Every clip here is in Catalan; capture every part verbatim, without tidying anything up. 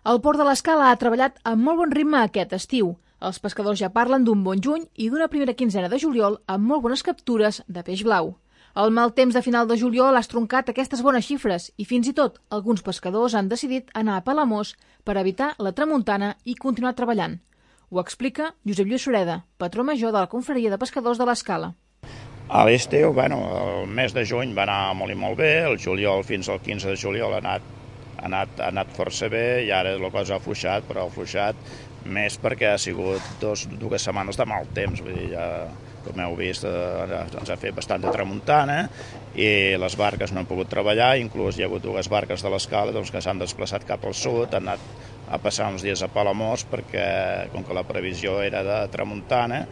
El Port de l'Escala ha treballat amb molt bon ritme aquest estiu. Els pescadors ja parlen d'un bon juny i d'una primera quinzena de juliol amb molt bones captures de peix blau. El mal temps de final de juliol ha estroncat aquestes bones xifres i fins i tot alguns pescadors han decidit anar a Palamós per evitar la tramuntana i continuar treballant. Ho explica Josep Lluís Sureda, patró major de la Confraria de Pescadors de l'Escala. A l'estiu, bueno, el mes de juny va anar molt i molt bé, el juliol fins al quinze de juliol ha anat, ha anat, ha anat força bé i ara la cosa ha afluixat, però ha afluixat més perquè ha sigut dos, dues setmanes de mal temps, vull dir, ja, com heu vist, eh, ens ha fet bastant de tramuntana i les barques no han pogut treballar, inclús hi ha hagut dues barques de l'Escala doncs, que s'han desplaçat cap al sud, han anat a passar uns dies a Palamós perquè, com que la previsió era de tramuntana,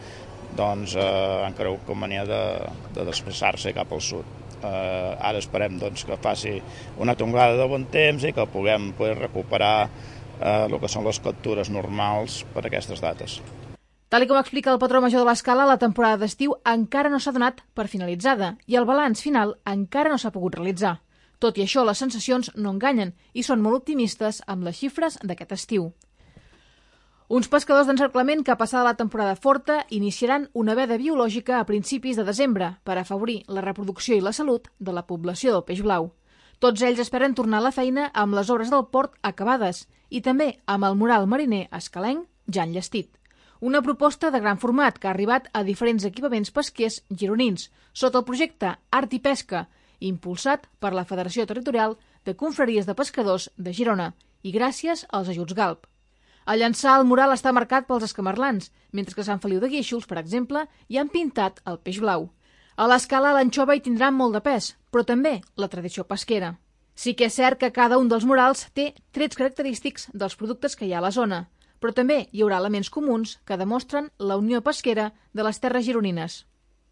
doncs eh, han cregut convenient de, de desplaçar-se cap al sud. Eh, ara esperem doncs, que faci una tongada de bon temps i que puguem poder recuperar eh, el que són les captures normals per a aquestes dates. Tal com explica el patró major de l'Escala, la temporada d'estiu encara no s'ha donat per finalitzada i el balanç final encara no s'ha pogut realitzar. Tot i això, les sensacions no enganyen i són molt optimistes amb les xifres d'aquest estiu. Uns pescadors d'encerclament que, passada la temporada forta, iniciaran una veda biològica a principis de desembre per afavorir la reproducció i la salut de la població del peix blau. Tots ells esperen tornar a la feina amb les obres del port acabades i també amb el mural mariner escalenc ja enllestit. Una proposta de gran format que ha arribat a diferents equipaments pesquers gironins sota el projecte Art i Pesca, impulsat per la Federació Territorial de Confraries de Pescadors de Girona i gràcies als ajuts Galp. A llançar el mural està marcat pels escamarlans, mentre que a Sant Feliu de Guíxols, per exemple, hi han pintat el peix blau. A l'Escala l'anxova hi tindrà molt de pes, però també la tradició pesquera. Sí que és cert que cada un dels murals té trets característics dels productes que hi ha a la zona, però també hi haurà elements comuns que demostren la unió pesquera de les terres gironines.